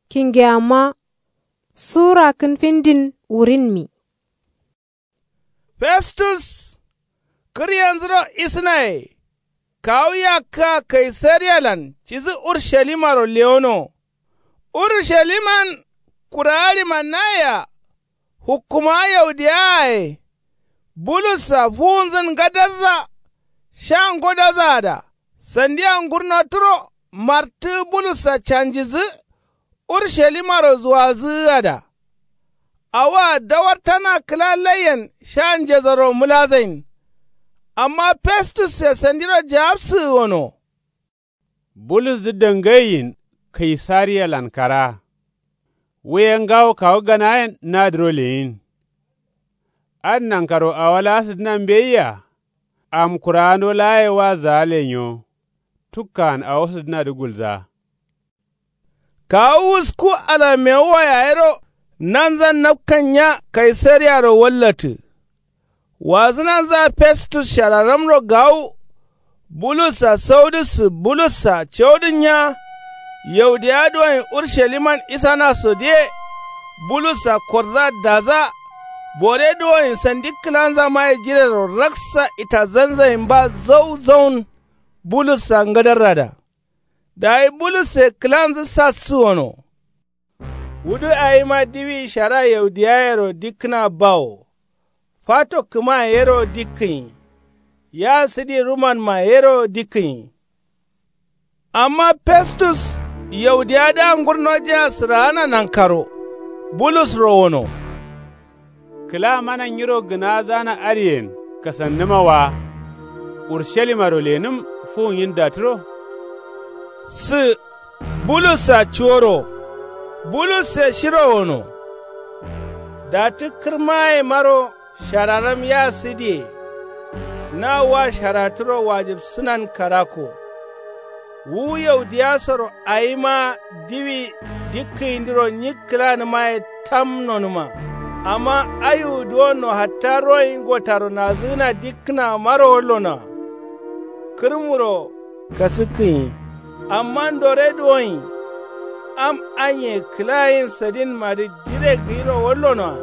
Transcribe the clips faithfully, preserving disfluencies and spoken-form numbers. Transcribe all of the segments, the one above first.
Kingeyamma suwurakkǝn findin wurinmi. Festus kǝryenzǝro isǝnaye kawu yakkǝa kaisariyalan cidǝ urushalimaro lewono. Urusaliman kurawa ɍimannayea hukkumawa yaudiyaaye bulussa fuwunzǝn ngadazza sha ngodazaada sandia ngurnoturo martǝgǝ bulussa canjidǝ urushalimaro zuwazǝgǝada. Awoa dawartana kǝla laiyen sha njesoro mǝlazain. Amma festusse sandiro jawabsǝgǝ gono. Bulusdǝ dangaiyin kaisariyalan karaa. Wu ye ngawo kawu ganayen nadǝro leyin. Adǝ nankaro awo laa sǝdǝna mbeyia. Amkurawando laa ye wazaa lenyo. Tukkan awo sǝdǝnadǝ gulzaa. Kawu wusku alamewuwa yayero nanzan napkan nya kaisariyaro wallatǝ. Wazǝnanzaa festus shararamro gawu. Bulussa saudǝssǝ bulussa caudǝn nya. Yaudiya duwoin urshaliman isana sodiye. Bulussa korza daza. Bore duwoin sandi kǝlanzamaye jirero raksa itazanzainba zau zaun. Bulussa ngadarrada. Dayi bulusse kǝlanzǝ sassǝ wono. Wudǝ awima diwi shara yaudiyayero dikkǝna bawo. Fato kǝma yero dikkǝnyi. Ya sǝdi rumanma yero dikkǝnyi. Amma festus yaudiyadǝa ngurnojea sǝraana nankaro. Bulusro wono. Kǝla mana nyiro gǝnazana adǝyen kasannǝma wa. Urshalimaro lenǝm fuwunyin datǝro. Sǝ bulussa cuworo. Bulusse shiro wono. Datǝ kǝrmayemaro shararam ya sǝdiye. Na wa sharatǝro wajibsǝnan karako. Wu yaudiyasoro awima diwi dikkǝyindiro nyi kǝlanǝmaye tam nonǝma. Amma ayiwu duwonno hatta royin gotaro nazǝgǝna dikkǝnamaro wallonoa. Kǝrmuro kasǝkkǝnyi. Amma ndore duwonyi. Am anye kǝlayin sadinmadǝ jire gǝyiro wallonoa.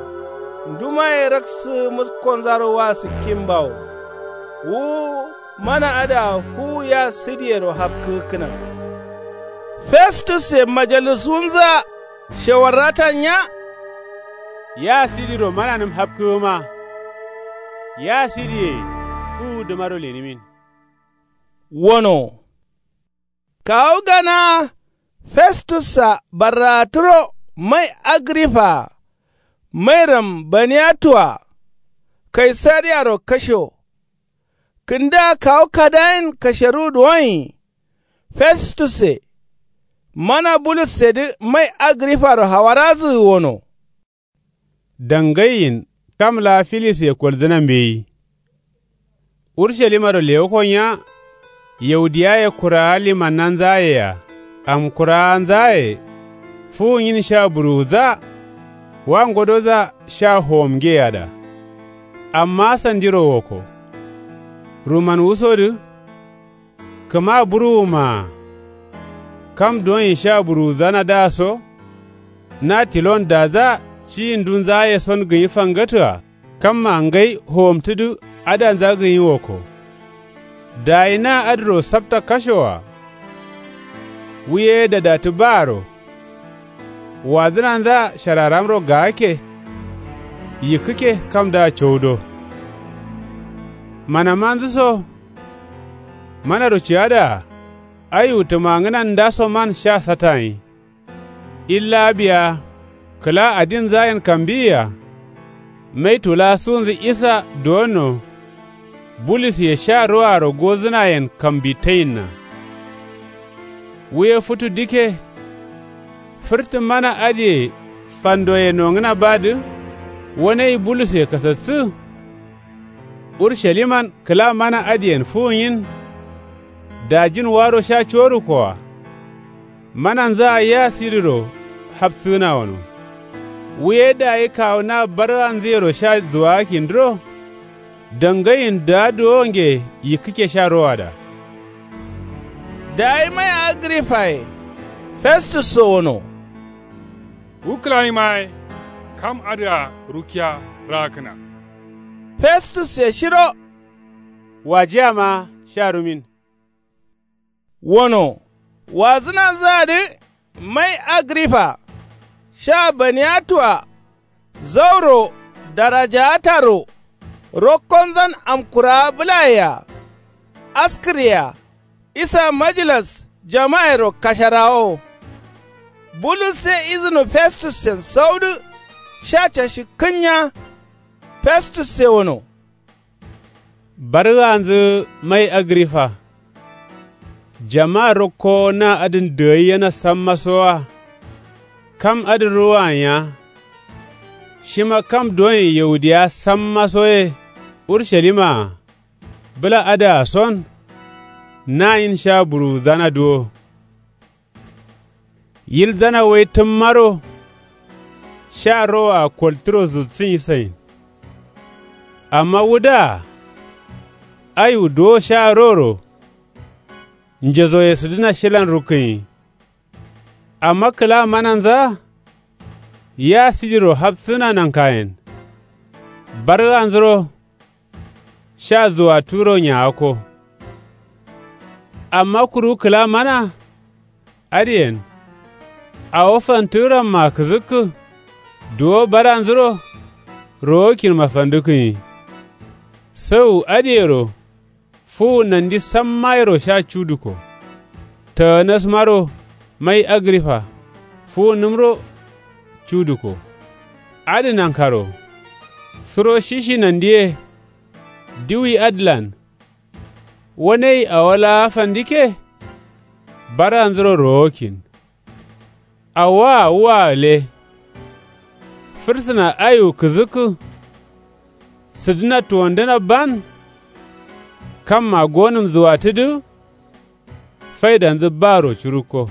Ndumaye raksǝgǝ muskonzaro wa sǝkkinbawo. Wu mana adǝa fuwu ya sidiyero hapkǝgǝkkǝna. Festusse majalisuwunzǝa shewarratan nya. Ya sidiro mananǝm hapkǝgǝma. Ya sidiye fuwudǝmaro lenǝmin. Wono. Kawu gana festussa barraatǝro mai agrifaa mairam baniyatua kaisariyaro kasho. Kǝndǝa kawu kadayin kasheruwu duwonyi. Festusse mana bulussedǝ mai agrifaro hawarazǝgǝ wono. Dangaiyin kam laa filisye koldǝna mbeyi. Urshalimaro lewukko nya. Yaudiyaye kurawa limannanzayea amkurawanzaye fuwunyin sha buruwudza. Wa ngodoza sha howomngeyeada. Amma sandiro wokko. Ruman wusodǝ. Kǝma buruwumaa. Kam duwonyi sha buruwudzanadǝa so. Na tilon dadza ciyi ndunzaye son gǝnyi fangatǝa kamma ngai howomtǝdǝ. Adandza gǝnyi wokko. Dayi na adǝro sapta kashoa. Wu ye dadatǝ baaro. Wadzǝnandza shararamro gaakke. Yikkǝkke kamdǝa cowudo. Manamanzǝ so. Manaro ciyadaa. Ayiwu tǝmangǝnan ndasoman sha satanyi. Illa biya kǝla adinzayen kambiyiya. Maitu laa suwunzǝ isa duwonno. Bulusye sha roaro godzǝnayen kambitayinna. Wu ye futu dikke. Fǝrtǝ mana adǝye fandoye nongǝna badǝ. Wanai bulusye kasassǝ. Urushaliman kǝla mana adǝyen fuwunyin. Dajin waro sha corukkoa. Mananzǝa ya sidiro hapsǝgǝna wono. Wu ye dayi kawu na barganzǝyero sha zuwagakindǝro. Dangayin dǝa duwonge yikkǝkke sha rowada. Dayi mai agrifaye festusso wono. Wu kǝlayima ye. Kam adǝa rukkiya rakkǝna. Festusse shiro. Wajiyama sha rumin. Wono wazǝnanzǝadǝ mai agrifa sha baniatua zauro darajaataro rokkonzan amkuraa bǝlayea askǝryea isa majilas jamairo kasharawowo. Bulusse izǝno festussen saudǝ sha cashi kǝnya. Festusse wono. Bargǝanzǝ mai agrifa. Jama rokko na adǝn dǝgaiyena sammaso wa. Kam adǝn ruwanya. Shima kam doyin yaudiya sammaso ye urshalima-a bǝla adǝa son. Nayin sha buruwudzana duwo. Yilzana wai tǝmmaro sha roa koltǝro zutsǝnyi sain. Amma wudǝa aiwu duwo sha roro njezoye sǝdǝna shilan rukkǝnyi. Amma kǝla mananza ya sijiro hapsǝna nankayen. Bargǝanzuro sha zuwaturo nyawakko. Amma kuru kǝla mana adǝyen awo fantǝgǝramma kǝzǝkkǝ. Duwo baranzuro rowokkinma fandǝkkǝnyi. Sau adǝyero fuwu nandi sammayero sha cuduko. Taganasmaro mai agrifa fuwunǝmro cuduko. Adǝ nankaro suro shishi nandiye diwi adǝlan wanei awo laa fandikke. Baranzuro rowokkin. Awoa wua gǝle. Fǝrsǝna aiwu kǝzǝkkǝ sǝdǝna tuwandǝna ban. Kamma gonǝm zuwatǝdǝ faidanzǝ baro curukko.